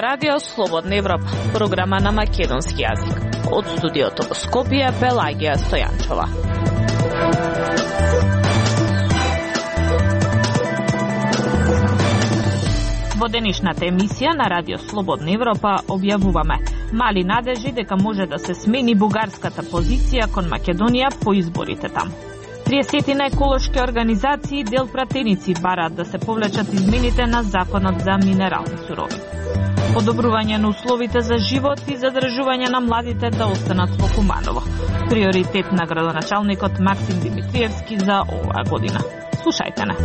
ова радио Слободна Европа, програма на македонски јазик. Од студиото во Скопје, Пелагија Стојанчова. Во денешната емисија на радио Слободна Европа објавуваме мали надежи дека може да се смени бугарската позиција кон Македонија по изборите таму. 30 на еколошки организации дел пратеници бараат да се повлечат измените на законот за минерални суровини. Подобрување на условите за живот и задржување на младите да останат во Куманово. Приоритет на градоначалникот Максим Димитриевски за оваа година. Слушајте на.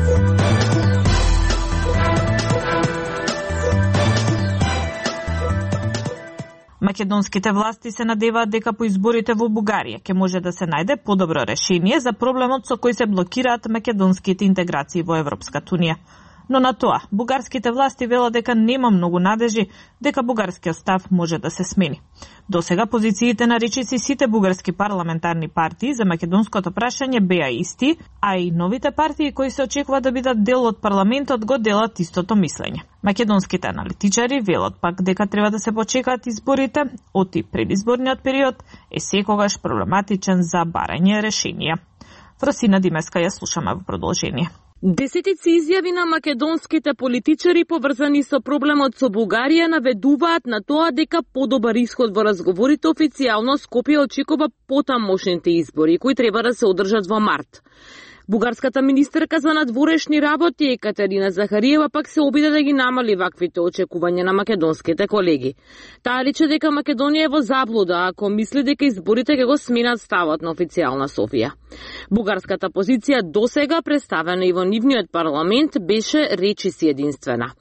Македонските власти се надеваат дека по изборите во Бугарија ќе може да се најде подобро решение за проблемот со кој се блокираат македонските интеграции во Европската унија. Но на тоа, бугарските власти велат дека нема многу надежи дека бугарскиот став може да се смени. Досега позициите на речиси сите бугарски парламентарни партии за македонското прашање беа исти, а и новите партии кои се очекува да бидат дел од парламентот го делат истото мислење. Македонските аналитичари велат пак дека треба да се почекаат изборите, оти предизборниот период е секогаш проблематичен за барање решенија. Фросина Димеска ја слушаме во продолжение. Десетици изјави на македонските политичари поврзани со проблемот со Бугарија наведуваат на тоа дека подобар исход во разговорите официјално Скопје очекува потамошните избори, кои треба да се одржат во март. Бугарската министерка за надворешни работи Екатерина Захариева пак се обиде да ги намали ваквите очекувања на македонските колеги. Таа рече дека Македонија е во заблуда ако мисли дека изборите ќе го сменат ставот на официјална Софија. Бугарската позиција досега представена и во нивниот парламент беше речиси единствена.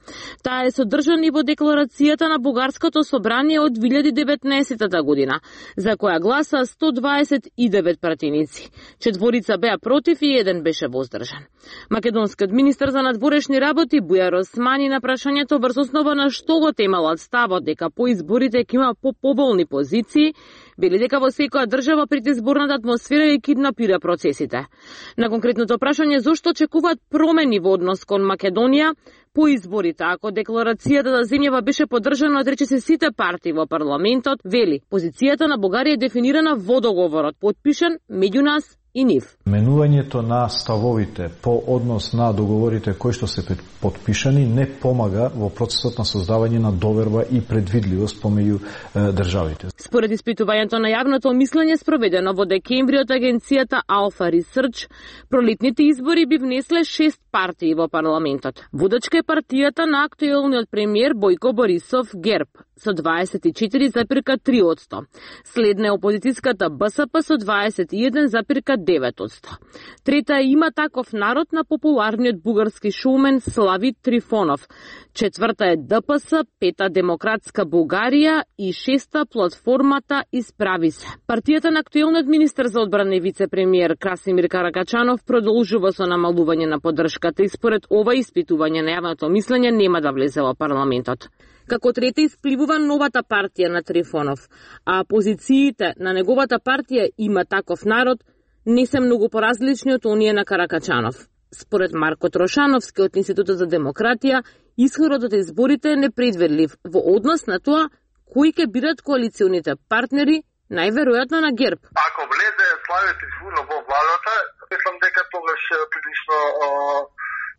Таа е содржана и во декларацијата на Бугарското собрание од 2019 година, за која гласа 129 пратеници. 4 беа против и 1 беше воздржан. Македонскиот министер за надворешни работи Бујар Османи на прашањето врз основа на што го темалат ставот дека по изборите ќе има поболни позиции, вели дека во секоја држава предизборната атмосфера и киднапира процесите. На конкретното прашање зошто очекуваат промени во однос кон Македонија по изборите, ако декларацијата за земјава беше поддржана од речиси сите партии во парламентот, вели позицијата на Бугарија е дефинирана во договорот, подпишан меѓу нас и нив. Менувањето на ставовите по однос на договорите кои што се подпишани не помага во процесот на создавање на доверба и предвидливост помеѓу државите. Според испитувањето на јавното мислење спроведено во декември од агенцијата Alpha Research, пролетните избори би внесле 6 партии во парламентот. Водачка е партијата на актуелниот премиер Бојко Борисов ГЕРБ со 24,3%. Следна е опозицијската БСП со 21,9%. Трета е Има таков народ на популарниот бугарски шоумен Слави Трифонов. Четврта е ДПС, пета Демократска Бугарија и шеста платформата Исправи се. Партијата на актуелниот министер за одбрана и вице-премиер Красимир Каракачанов продолжува со намалување на поддршката и според ова испитување на јавното мислење нема да влезе во парламентот. Како трета испливува новата партија на Трифонов, а позициите на неговата партија Има таков народ не се многу поразлични од оние на Каракачанов. Според Марко Трошановски од Институтот за демократија, исходот од изборите е непредвидлив во однос на тоа кои ќе бидат коалиционите партнери, најверојатно на ГЕРБ. Ако влезе Слави Трифонов во владата, мислам дека тогаш прилично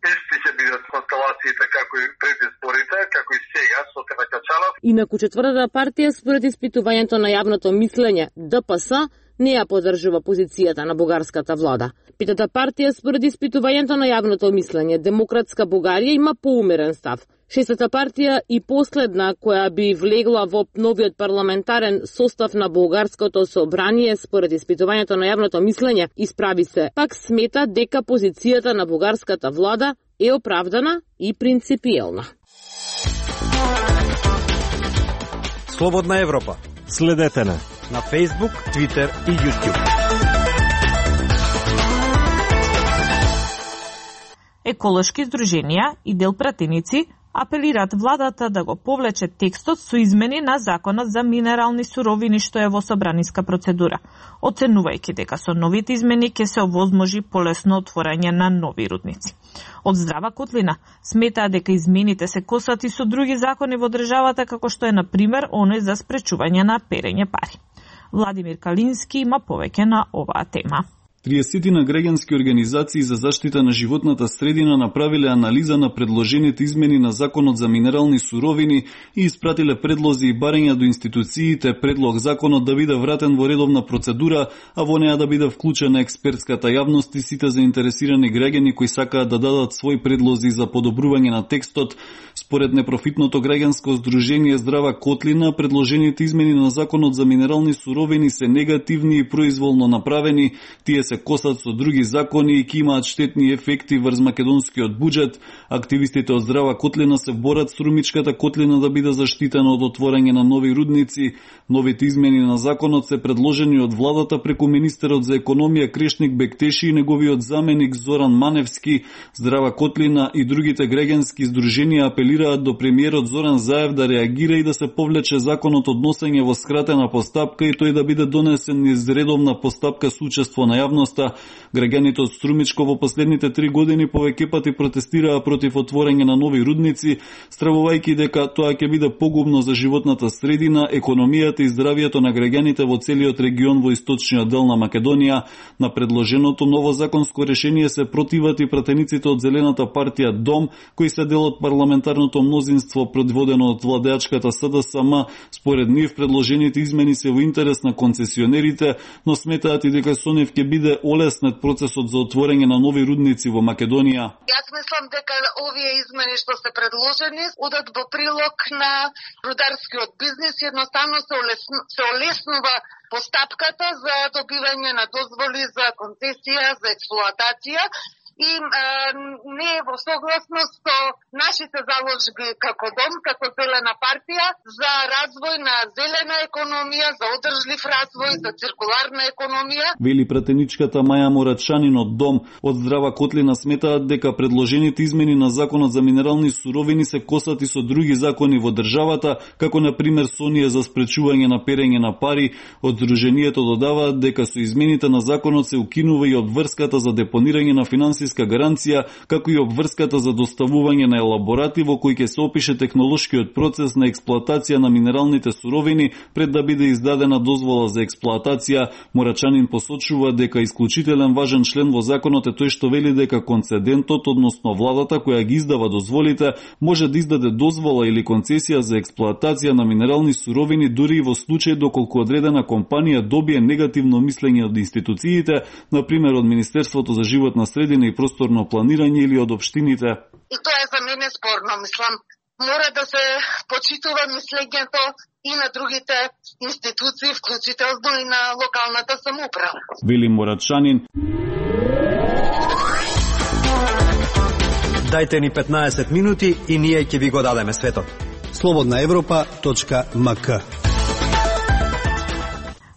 исти ќе бидат констелациите како и пред изборите, како и сега со Каракачанов. Инаку четвртата партија според испитувањето на јавното мислење ДПС не ја поддржува позицијата на бугарската влада. Петата партија според испитувањето на јавното мислење Демократска Бугарија има поумерен став. Шестата партија и последна која би влегла во новиот парламентарен состав на бугарското собрание според испитувањето на јавното мислење Исправи се, пак смета дека позицијата на бугарската влада е оправдана и принципиелна. Слободна Европа. Следете на Facebook, Twitter и YouTube. Еколошки здруженија и дел пратеници апелираат владата да го повлече текстот со измени на Законот за минерални суровини што е во собраниска процедура, оценувајќи дека со новите измени ќе се овозможи полесно отворање на нови рудници. Од Здрава Котлина сметаа дека измените се косат и со други закони во државата, како што е на пример оној за спречување на перење пари. Владимир Калински има повеќе на оваа тема. 30 на граѓански организации за заштита на животната средина направиле анализа на предложените измени на Законот за минерални суровини и испратиле предлози и барања до институциите предлог законот да биде вратен во редовна процедура, а во неа да биде вклучена експертската јавност и сите заинтересирани граѓани кои сакаат да дадат своји предлози за подобрување на текстот. Според непрофитното граѓанско здружение Здрава Котлина, предложените измени на Законот за минерални суровини се негативни и произволно направени. Тие се косат со други закони и ќе имаат штетни ефекти врз македонскиот буџет. Активистите од Здрава Котлина се борат Струмичката котлина да биде заштитена од отворање на нови рудници. Новите измени на законот се предложени од владата преку министерот за економија Крешник Бектеши и неговиот заменик Зоран Маневски. Здрава Котлина и другите граѓански здруженија апелираат до премиерот Зоран Заев да реагира и да се повлече законот од носење во скратена постапка и тој да биде донесен низ редовна постапка со учество на јавноста. Граѓаните од Струмичко во последните 3 години повеќе пати протестираа против отворање на нови рудници, стравувајќи дека тоа ќе биде погубно за животната средина, економијата и здравието на граѓаните во целиот регион во источниот дел на Македонија. На предложеното ново законско решение се противат и пратениците од Зелената партија Дом, кои се дел од парламентарното мнозинство предводено од владеачката СДСМ. Според нив предложените измени се во интерес на концесионерите, но сметаат и дека со нив ќе биде олеснет процесот за отворање на нови рудници во Македонија. Јас мислам дека овие измени што се предложени одат во прилог на рударскиот бизнис, едноставно се олеснува постапката за добивање на дозволи за концесија, за експлоатација и не е во согласност со нашите заложби како Дом, како Зелена партија за развој на зелена економија, за одржлив развој, за циркуларна економија. Вели пратеничката Маја Морачанин од Дом. Од Здрава Котлина сметаат дека предложените измени на Законот за минерални суровини се косат и со други закони во државата, како на пример со оние за спречување на перење на пари. Од здруженијето додаваат дека со измените на законот се укинува и обврската за депонирање на финансиска гаранција, како и обврската за доставување на елаборати во кои ќе се опише технолошкиот процес на експлоатација на минералните суровини пред да биде издадена дозвола за експлоатација. Морачанин посочува дека исклучителен важен член во законот е тој што вели дека концедентот, односно владата која ги издава дозволите, може да издаде дозвола или концесија за експлоатација на минерални суровини дури и во случај доколку одредена компанија добие негативно мислење од институциите, на пример од Министерството за животна средина и просторно планирање или од општините. И тоа е за мене спорно, мислам. Мора да се почитува мислењето и на другите институции, вклучително и на локалната самоуправа. Вели Морачанин. Дајте ни 15 минути и ние ќе ви го дадеме светот. slobodnaevropa.mk.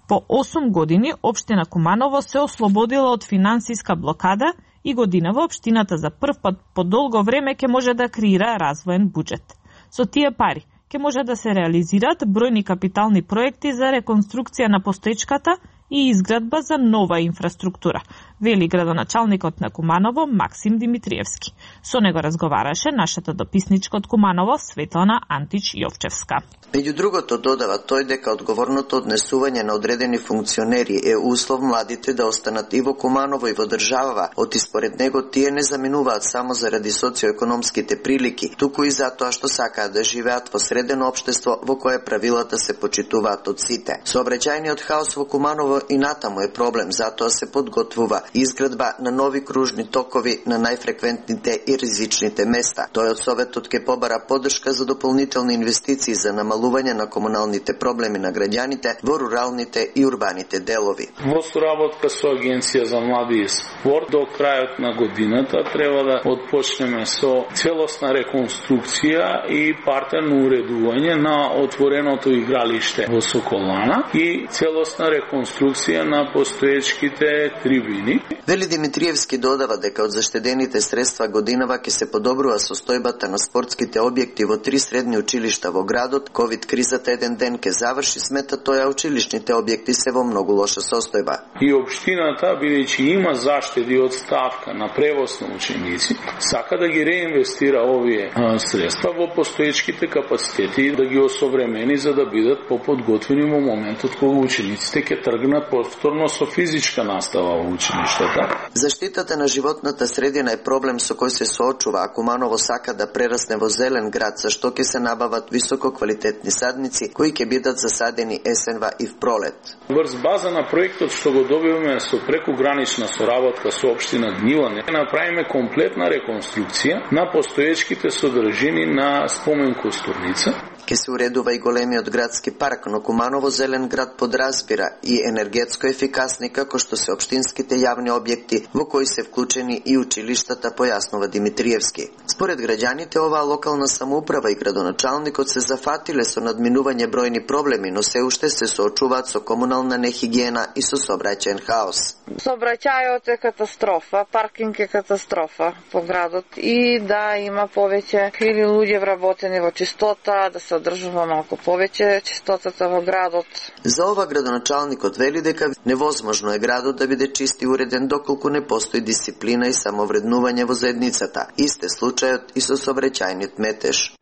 По 8 години општина Куманово се ослободила од финансиска блокада и годинава општината за прв пат по долго време ќе може да креира развоен буџет. Со тие пари ќе може да се реализираат бројни капитални проекти за реконструкција на постоечката и изградба за нова инфраструктура, вели градоначалникот на Куманово Максим Димитриевски. Со него разговараше нашата дописничка од Куманово Светлана Антич Јовчевска. Меѓу другото додава тој дека одговорното однесување на одредени функционери е услов младите да останат и во Куманово и во државава, оти според него тие не заминуваат само заради социоекономските прилики, туку и затоа што сакаат да живеат во средено општество во кое правилата се почитуваат од сите. Сообраќајниот хаос во Куманово и натаму е проблем, затоа се подготвува изградба на нови кружни токови на најфреквентните и ризичните места. Тој од Советот ќе побара поддршка за дополнителни инвестиции за намалување на комуналните проблеми на граѓаните во руралните и урбаните делови. Во соработка со Агенција за млади и спорт до крајот на годината треба да отпочнеме со целосна реконструкција и партерно уредување на отвореното игралиште во Соколана и целосна реконструкција на постоечките трибини Вели Димитриевски додава дека од заштедените средства годинава ќе се подобрува состојбата на спортските објекти во 3 средни училишта во градот. Ковид кризата еден ден ќе заврши, смета тој, а училишните објекти се во многу лоша состојба. И општината, бидејќи има заштеди од ставка на превоз на ученици, сака да ги реинвестира овие средства во постоечките капацитети, да ги осовремени за да бидат поподготвени во моментот кога учениците ќе тргнат повторно со физичка настава во училиштата. Заштитата на животната средина е проблем со кој се соочува, а Куманово сака да прерасне во зелен град, за што ќе се набават високо квалитетни садници кои ќе бидат засадени есенва и в пролет. Врз база на проектот што го добиваме со прекугранична соработка со општина Гнилане, направиме комплетна реконструкција на постоечките содржини на спомен костурница. Ке се уредува и големиот градски парк, но Куманово зелен град подразбира и енергетско ефикасни како што се општинските јавни објекти во кои се вклучени и училиштата, појаснува Димитриевски. Според граѓаните, оваа локална самоуправа и градоначалникот се зафатиле со надминување бројни проблеми, но се уште се соочуваат со комунална нехигиена и со сообраќаен хаос. Сообраќајот е катастрофа, паркинг е катастрофа по градот и да има повеќе или луѓе вработени во чистота, да се одржува малку повеќе чистотата во градот. За ова градоначалникот вели дека невозможно е градот да биде чист и уреден доколку не постои дисциплина и самовреднување во заедницата. Исте случајот и со сообраќајниот метеж.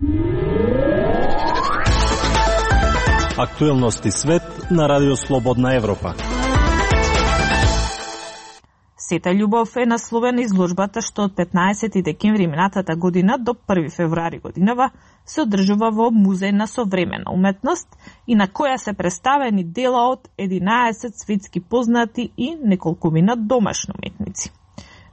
Актуелности свет на Радио Слободна Европа. Сета љубов е насловена изложбата што од 15 декември минатата година до 1 февруари годинава се одржува во Музеј на современа уметност и на која се представени дела од 11 светски познати и неколкумина домашни уметници.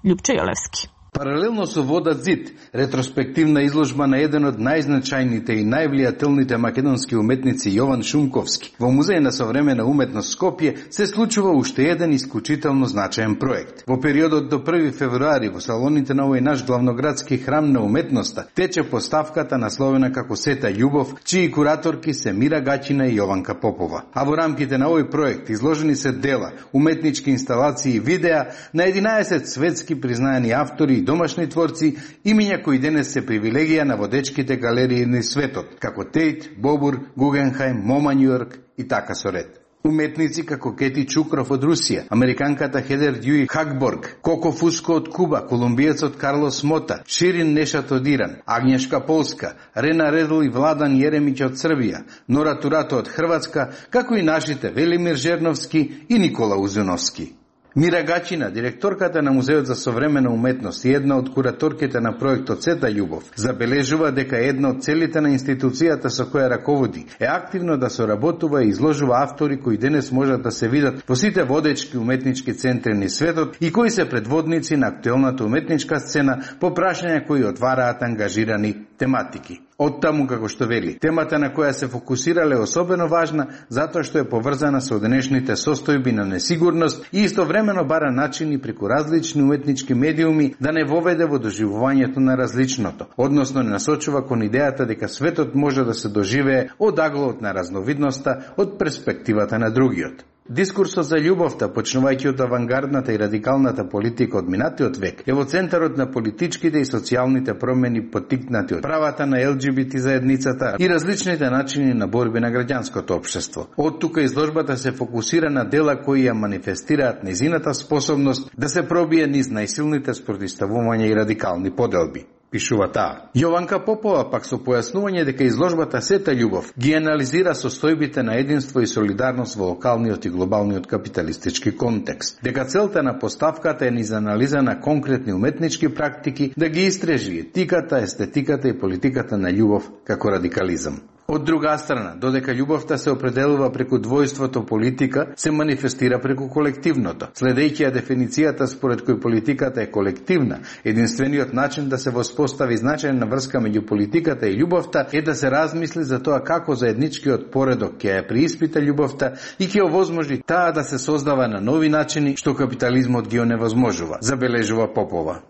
Љупчо Јолевски. Паралелно со Водат зид, ретроспективна изложба на еден од најзначајните и највлијателните македонски уметници Јован Шумковски во Музеј на современа уметност Скопје се случува уште еден исклучително значаен проект. Во периодот до 1 февруари во салоните на овој наш главноградски храм на уметноста тече поставката насловена како Сета љубов, чии кураторки се Мира Гачина и Јованка Попова. А во рамките на овој проект изложени се дела, уметнички инсталации и видеа на 11 светски признаени автори домашни творци, имиња кои денес се привилегија на водечките галерии на светот, како Тейт, Бобур, Гугенхајм, Мома Њујорк и така со ред. Уметници како Кети Чукров од Русија, американката Хедер Дјуи Хакборг, Коко Фуско од Куба, колумбиецот Карлос Мота, Ширин Нешат од Иран, Агњешка Полска, Рена Редл и Владан Јеремиќ од Србија, Нора Турато од Хрватска, како и нашите Велимир Жерновски и Никола Узуновски. Мира Гачина, директорката на Музеот за современа уметност и една од кураторките на проектот Сета љубов, забележува дека една од целите на институцијата со која раководи е активно да соработува и изложува автори кои денес можат да се видат во сите водечки уметнички центри на светот и кои се предводници на актуелната уметничка сцена по прашања кои отвараат ангажирани тематики. Оттаму, како што вели, темата на која се фокусирале е особено важна затоа што е поврзана со денешните состојби на несигурност и истовремено бара начини преку различни уметнички медиуми да не воведе во доживувањето на различното, односно не насочува кон идејата дека светот може да се доживее од аглот на разновидноста од перспективата на другиот. Дискурсот за љубовта, почнувајќи од авангардната и радикалната политика од минатиот век, е во центарот на политичките и социјалните промени поттикнати од правата на ЛГБТ заедницата и различните начини на борби на граѓанското општество. Од тука изложбата се фокусира на дела кои ја манифестираат незината способност да се пробие низ најсилните спротивставувања и радикални поделби. Пишува таа. Јованка Попова пак со појаснување дека изложбата Сета љубов ги анализира состојбите на единство и солидарност во локалниот и глобалниот капиталистички контекст. Дека целта на поставката е низ анализа на конкретни уметнички практики да ги истражи етиката, естетиката и политиката на љубов како радикализам. Од друга страна, додека љубовта се определува преку двојството политика, се манифестира преку колективното. Следејќи ја дефиницијата според кој политиката е колективна, единствениот начин да се воспостави значајна врска меѓу политиката и љубовта е да се размисли за тоа како заедничкиот поредок ќе ја преиспита љубовта и ќе овозможи таа да се создава на нови начини што капитализмот ги оневозможува, забележува Попова.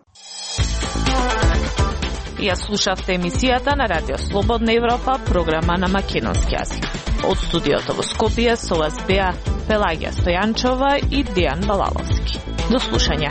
Ја слушавте емисијата на Радио Слободна Европа, програма на македонски јазик. Од студиото во Скопје со вас беа Пелагија Стојанчова и Дејан Балаловски. До слушање.